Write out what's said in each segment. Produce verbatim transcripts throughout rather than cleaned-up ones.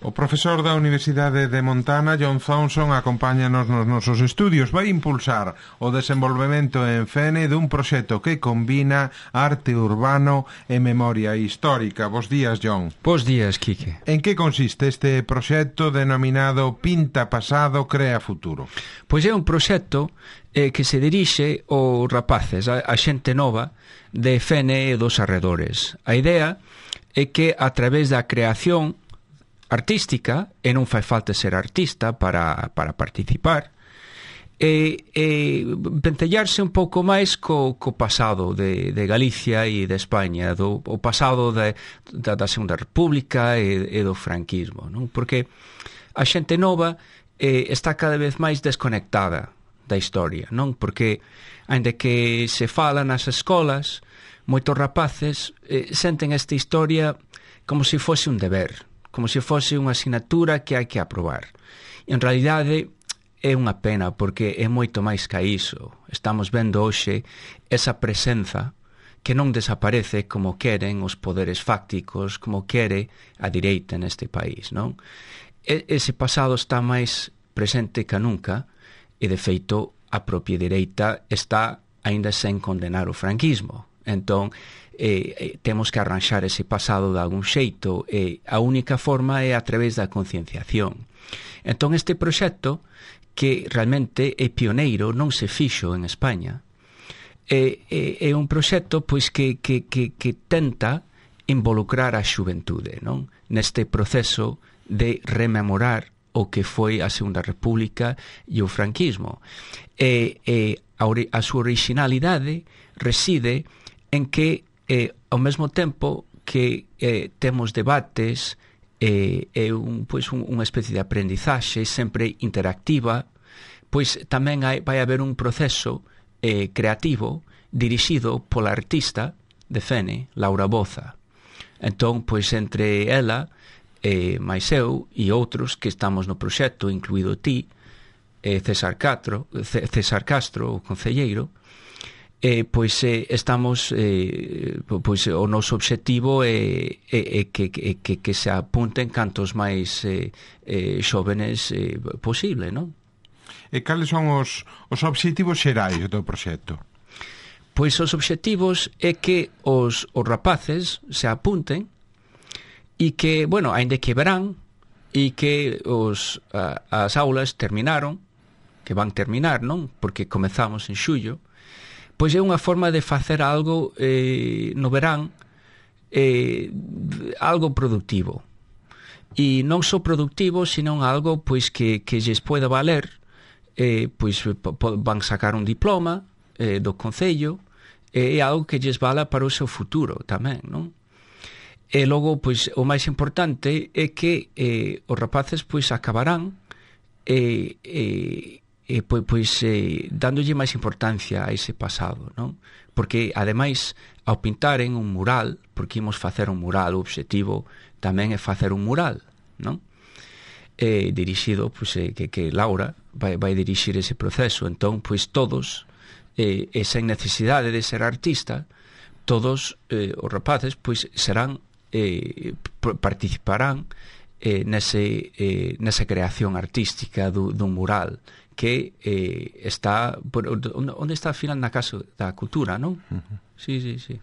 O profesor da Universidade de Montana, John Thompson, acompáñanos nos nosos estudios. Vai impulsar o desenvolvemento en Fene dun proxecto que combina arte urbano e memoria histórica. Bos días, John. Bos días, Quique. En que consiste este proxecto denominado Pinta Pasado, Crea Futuro? Pois é un proxecto eh, que se dirixe aos rapaces, a, a xente nova de Fene e dos arredores. A idea é que a través da creación artística, e non fai falta ser artista para, para participar, e, e ventellarse un pouco máis co, co pasado de, de Galicia e de España, do, o pasado de, da, da Segunda República e, e do franquismo, non? Porque a xente nova eh, está cada vez máis desconectada da historia, non? Porque, aínda que se fala nas escolas, moitos rapaces eh, senten esta historia como se fose un deber, como se fose unha asignatura que hai que aprobar. E, en realidade, é unha pena, porque é moito máis que iso. Estamos vendo hoxe esa presenza que non desaparece como queren os poderes fácticos, como quere a direita neste país, non? E, ese pasado está máis presente que nunca, e, de feito, a propia direita está aínda sen condenar o franquismo. Entón, eh, eh, temos que arranxar ese pasado de algún xeito, e a única forma é a través da concienciación. Entón, este proxecto, que realmente é pioneiro, non se fixo en España, é, é, é un proxecto pois que, que, que, que tenta involucrar a xuventude, non? Neste proceso de rememorar o que foi a Segunda República e o franquismo. E, e a, a súa originalidade reside en que, eh, ao mesmo tempo que eh, temos debates, e eh, un, pois un, unha especie de aprendizaxe sempre interactiva, pois tamén hai, vai haber un proceso eh, creativo dirixido pola artista de Fene, Laura Boza. Entón, pois entre ela, eh, máis eu e outros que estamos no proxecto, incluído ti, eh, César Castro, César Castro, o concelleiro, Eh, pois eh, estamos eh, pois o noso obxectivo é, é, é que, é, que, que se apunten cantos máis eh, eh, xóvenes eh, posible, non? E cales son os, os obxectivos xerais do proxecto? Pois os obxectivos é que os, os rapaces se apunten e que, bueno, aínda que verán e que os, a, as aulas terminaron, que van terminar, non? Porque comezamos en xullo. Pois é unha forma de facer algo eh, no verán, eh, algo productivo. E non só productivo, senón algo pois que, que lles poida valer, eh, pois van sacar un diploma eh, do Concello, e é algo que lles vala para o seu futuro tamén, non? E logo, pois, o máis importante é que eh, os rapaces pois acabarán e... Eh, e pois, pois eh, dándolle máis importancia a ese pasado, non? Porque ademais ao pintaren un mural, porque imos facer un mural, o obxectivo tamén é facer un mural, non? Eh, dirixido, pois eh, que, que Laura vai, vai dirixir ese proceso. Entón, pois todos eh, e sen necesidade de ser artista, todos eh, os rapaces pois serán eh, participarán eh, nese, eh, nesa creación artística do, dun mural que eh, está onde está ao final na Casa da Cultura, non? Uh-huh. Sí, sí, sí.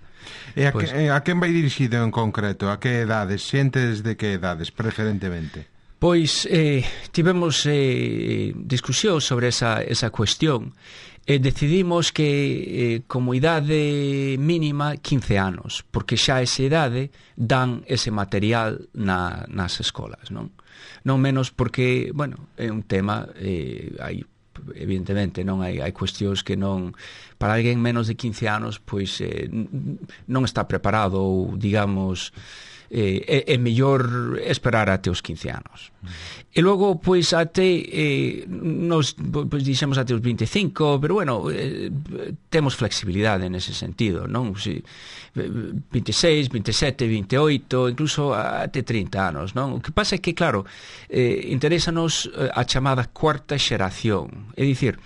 E a, pues, que, a quen vai dirixido en concreto? A que edades? Xentes de que edades, preferentemente? Pois eh, tivemos eh, discusión sobre esa, esa cuestión e decidimos que eh, como idade mínima quince anos, porque xa esa idade dan ese material na, nas escolas, non? Non menos porque, bueno, é un tema, eh, hai, evidentemente, non hai, hai cuestións que non, para alguén menos de quince anos, pois eh, non está preparado ou, digamos, eh, é, é mellor esperar até os quince anos. E logo, pois, até eh, nos, pois, dixemos até os vinte e cinco, pero, bueno, eh, temos flexibilidade nese sentido, non? Si, vinte e seis, vinte e sete, vinte e oito, incluso até trinta anos, non? O que pasa é que, claro, eh, interésanos a chamada cuarta xeración, é dicir,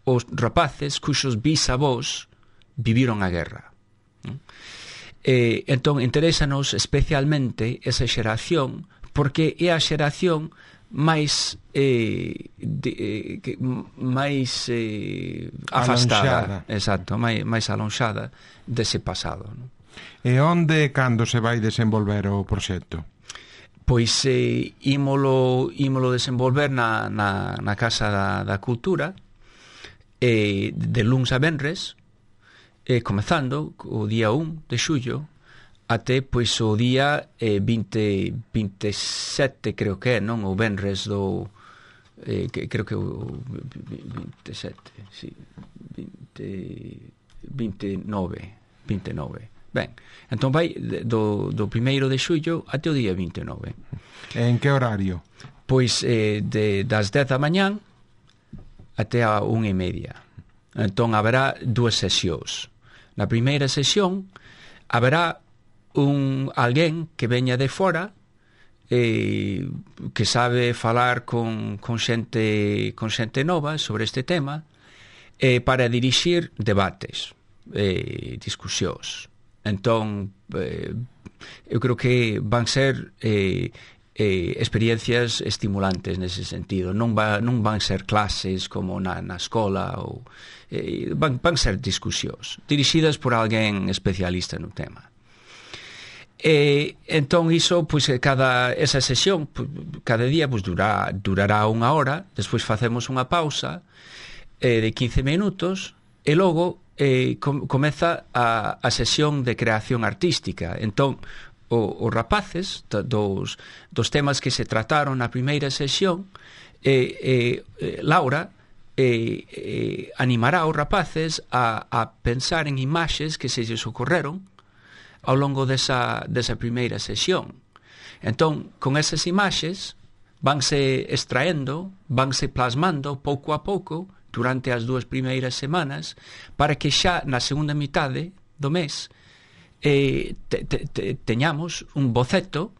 os rapaces cuxos bisavós viviron a guerra, non? Eh, entón, interésanos especialmente esa xeración porque é a xeración máis eh, de, eh, que, máis eh, afastada, alonxada. Exacto, máis, máis alonxada dese pasado, non? E onde e cando se vai desenvolver o proxecto? Pois eh, ímolo, ímolo desenvolver na, na, na Casa da, da Cultura, eh, de luns a venres, eh, comezando o día un de xullo até pois o día eh, vinte, vinte e sete, creo que é, non? O venres do eh, que, creo que o vinte e sete, sí, vinte, vinte e nove. Ben, entón vai do, do primeiro de xullo até o día vinte e nove. En que horario? Pois eh, de, das dez da mañán até a unha e media. Entón haberá dúas sesións. Na primeira sesión haberá un alguén que veña de fora, eh, que sabe falar con, con xente con xente nova sobre este tema, eh, para dirixir debates, eh, discusións. Entón eh, eu creo que van ser eh, eh, experiencias estimulantes nese sentido. Non, va, non van ser clases como na, na escola, ou, eh, van, van ser discusións dirixidas por alguén especialista no tema. E entón iso, pois cada esa sesión, cada día pois durará, durará unha hora, despois facemos unha pausa eh, de quince minutos e logo eh, com, comeza a, a sesión de creación artística. Entón o, os rapaces dos, dos temas que se trataron na primeira sesión, eh, eh, Laura eh, eh, animará os rapaces a, a pensar en imaxes que se lles ocorreron ao longo desa, desa primeira sesión. Entón, con esas imaxes vanse extraendo, vanse plasmando pouco a pouco durante as dúas primeiras semanas, para que xa na segunda mitade do mes eh, te, te, te, teñamos un boceto,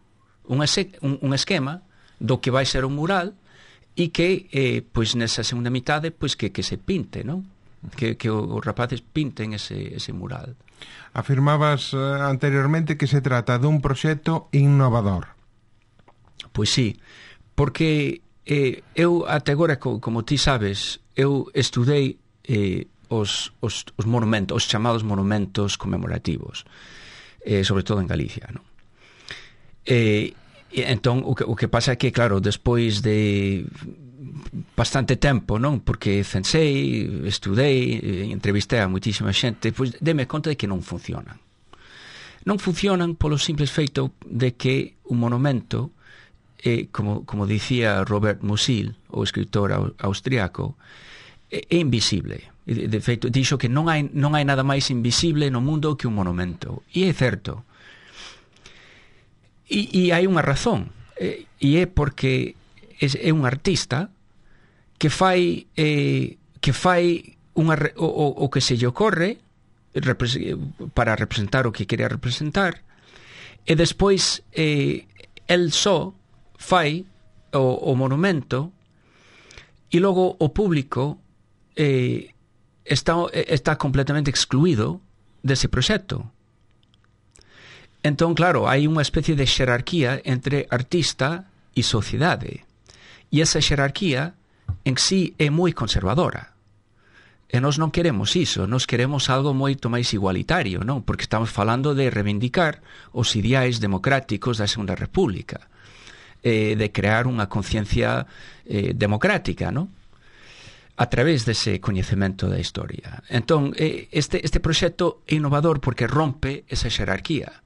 un, ese, un, un esquema do que vai ser o mural, e que eh, pois nesa segunda mitade pois que, que se pinte, non? Que, que os rapaces pinten ese, ese mural. Afirmabas eh, anteriormente que se trata dun proxecto innovador. Pois sí, porque eh, eu até agora, como ti sabes, eu estudei eh, os, os, os monumentos, os chamados monumentos conmemorativos, eh, sobre todo en Galicia, non? Eh, e entón o que, o que pasa é que, claro, despois de bastante tempo, non? Porque censei, estudei, entrevistei a moitísima xente, pois deme conta de que non funcionan. Non funcionan polo simple feito de que un monumento, eh, como, como dicía Robert Musil, o escritor austriaco, é, é invisible. De, de feito, dixo que non hai, non hai nada máis invisible no mundo que un monumento. E é certo. E, e hai unha razón. E, e é porque é, é un artista que fai eh, que fai unha, o, o, o que se lle ocorre para representar o que quería representar, e despois eh, el só fai o, o monumento, e logo o público eh, está, está completamente excluído dese proxecto. Entón, claro, hai unha especie de xerarquía entre artista e sociedade, e esa xerarquía en sí é moi conservadora. E nós non queremos iso, nós queremos algo moito máis igualitario, non? Porque estamos falando de reivindicar os ideais democráticos da Segunda República, eh, de crear unha conciencia eh, democrática, non? A través dese coñecemento da historia. Entón, eh, este, este proxecto é innovador porque rompe esa xerarquía,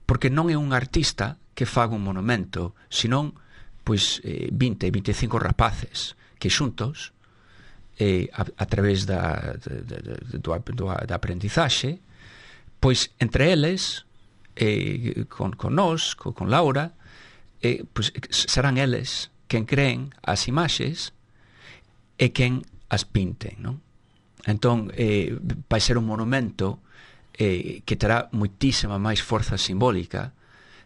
porque non é un artista que faga un monumento, senón pois, eh, vinte, vinte e cinco rapaces que xuntos, eh, a, a través da, da, da, da, da aprendizaxe, pois entre eles, eh, con, con nós, con, con Laura, eh, pois serán eles quen creen as imaxes e quen as pinten, non? Entón, eh, vai ser un monumento eh, que terá moitísima máis forza simbólica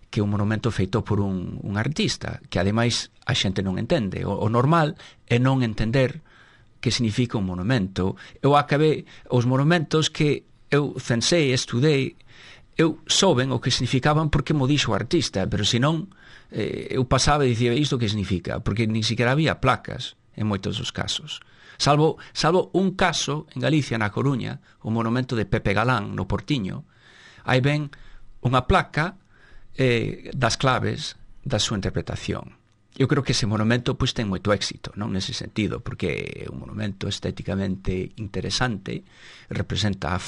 que un monumento feito por un, un artista, que ademais a xente non entende. O, o normal é non entender que significa un monumento. Eu acabei os monumentos que eu censei, estudei, eu souben o que significaban porque mo dixo o artista, pero senón eh, eu pasaba e dicía isto que significa, porque nin siquiera había placas en moitos dos casos. Salvo, salvo un caso en Galicia, na Coruña, o monumento de Pepe Galán, no Portiño, aí ven unha placa eh, das claves da súa interpretación. Eu creo que ese monumento pois, ten moito éxito, non nese sentido, porque é un monumento estéticamente interesante, representa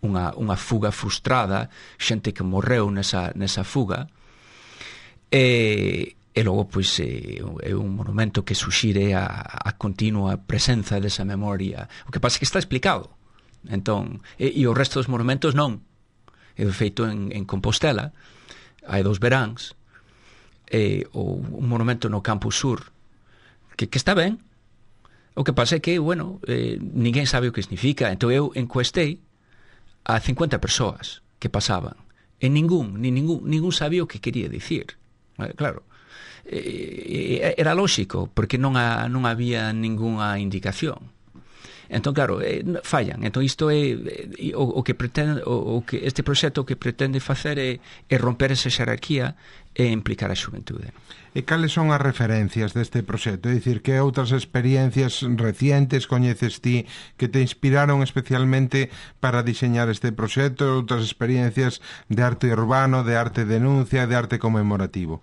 unha, unha fuga frustrada, xente que morreu nesa, nesa fuga, e, e logo pois, é, é un monumento que suxire a, a continua presenza desa memoria. O que pasa é que está explicado. Entón, e, e o resto dos monumentos non. É feito en, en Compostela, hai dos veráns, eh, o un monumento no Campus Sur que, que está ben. O que pasa é que, bueno, eh, ninguén sabe o que significa. Entón eu encuestei a cincuenta persoas que pasaban e ningún, ni ningún, ningún sabía o que quería dicir. Eh, claro, eh, era lóxico porque non, ha, non había ningunha indicación. Entón, claro, eh, fallan. Entón, isto é eh, o, o que pretende o, o que este proxecto que pretende facer é, é romper esa xerarquía e implicar a xuventude. E cales son as referencias deste proxecto? É dicir, que outras experiencias recientes coñeces ti que te inspiraron especialmente para diseñar este proxecto? Outras experiencias de arte urbano, de arte denuncia, de arte conmemorativo?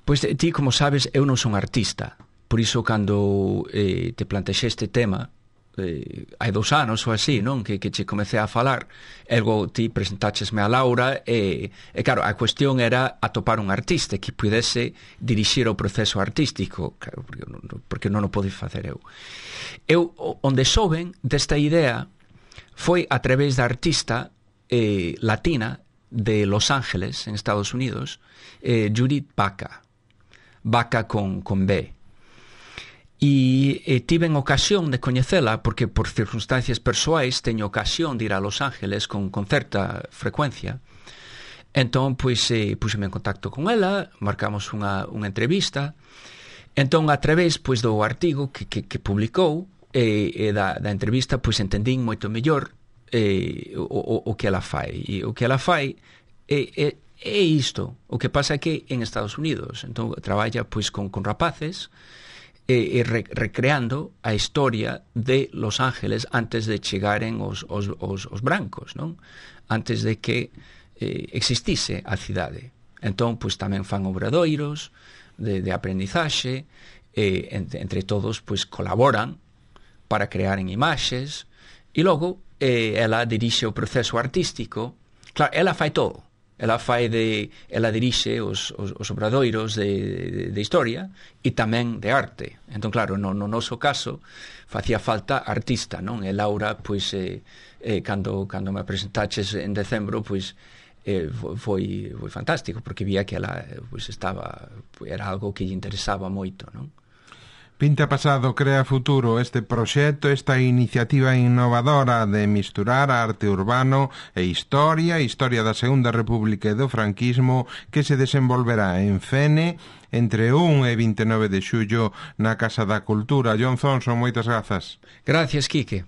Pois ti, como sabes, eu non son artista. Por iso, cando eh, te plantexei este tema, eh, hai dous anos ou así, non? Que, que che comecei a falar, ergo ti presentáchesme a Laura e, e claro, a cuestión era atopar un artista que pudese dirixir o proceso artístico, claro, porque, porque non o podei facer eu. Eu, onde souben desta idea foi a través da artista eh, latina de Los Ángeles, en Estados Unidos, eh, Judith Baca, Baca con, con B. E, e tiven ocasión de coñecela porque por circunstancias persoais teño ocasión de ir a Los Ángeles con, con certa frecuencia. Entón, pois, eh, puseme en contacto con ela, marcamos unha, unha entrevista. Entón, a través pois, do artigo que, que, que publicou e, e da, da entrevista, pois entendín moito mellor eh, o, o, o que ela fai. E o que ela fai é, é, é isto. O que pasa é que en Estados Unidos, entón, traballa pois, con, con rapaces, e, e re, recreando a historia de Los Ángeles antes de chegaren os, os, os, os brancos, non? Antes de que eh, existise a cidade. Entón, pois tamén fan obradoiros de, de aprendizaxe, e entre, entre todos, pois colaboran para crear en imaxes, e logo eh, ela dirixe o proceso artístico. Claro, ela fai todo. Ela fai de, ela dirixe os, os, os obradoiros de, de, de historia e tamén de arte. Entón, claro, no, no noso caso facía falta artista, non? E Laura, pois, eh, eh, cando, cando me presentaches en decembro, pois, eh, foi, foi fantástico, porque vía que ela, pois, estaba, era algo que lle interesaba moito, non? Pinta pasado, crea futuro este proxecto, esta iniciativa innovadora de misturar arte urbano e historia, historia da Segunda República e do franquismo, que se desenvolverá en Fene entre un e vinte e nove de xullo na Casa da Cultura. John Thompson, moitas grazas. Gracias, Quique.